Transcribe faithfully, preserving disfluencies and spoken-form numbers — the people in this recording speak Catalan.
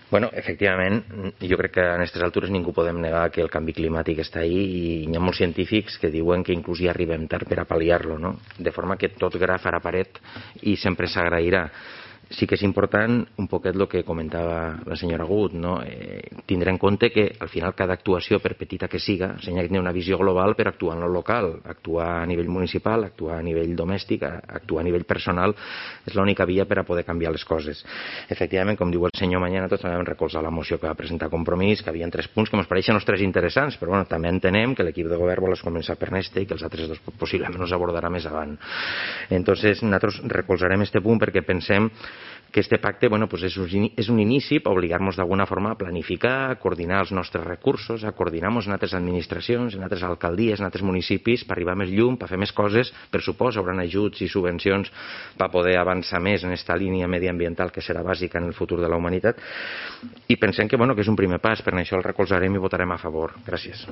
Bueno, efectivament, jo crec que a aquestes altures ningú podem negar que el canvi climàtic està ahí i hi ha molts científics que diuen que inclús ja arribem tard per a pal·liar-lo, no? De forma que tot gra farà paret i sempre s'agrairà. Sí que és important un poquet el que comentava la senyora Gut, no? Eh, tindre en compte que al final cada actuació, per petita que siga, s'ha de tenir una visió global per actuar en lo local, actuar a nivell municipal, actuar a nivell domèstic, actuar a nivell personal, és l'única via per a poder canviar les coses. Efectivament, com diu el senyor Mañana, tots també vam recolzar la moció que va presentar Compromís, que havia tres punts que ens pareixen els tres interessants, però bueno, també entenem que l'equip de govern vol començar per este i que els altres dos possiblement els abordarà més avant. Entonces, nosaltres recolzarem este punt perquè pensem que este pacte bueno, pues és, un, és un inici per obligar-nos d'alguna forma a planificar, a coordinar els nostres recursos, a coordinar-nos en altres administracions, en altres alcaldies, en altres municipis, per arribar més llum, per fer més coses, per supost, hauran ajuts i subvencions per poder avançar més en aquesta línia mediambiental que serà bàsica en el futur de la humanitat. I pensem que, bueno, que és un primer pas, per això el recolzarem i votarem a favor. Gràcies.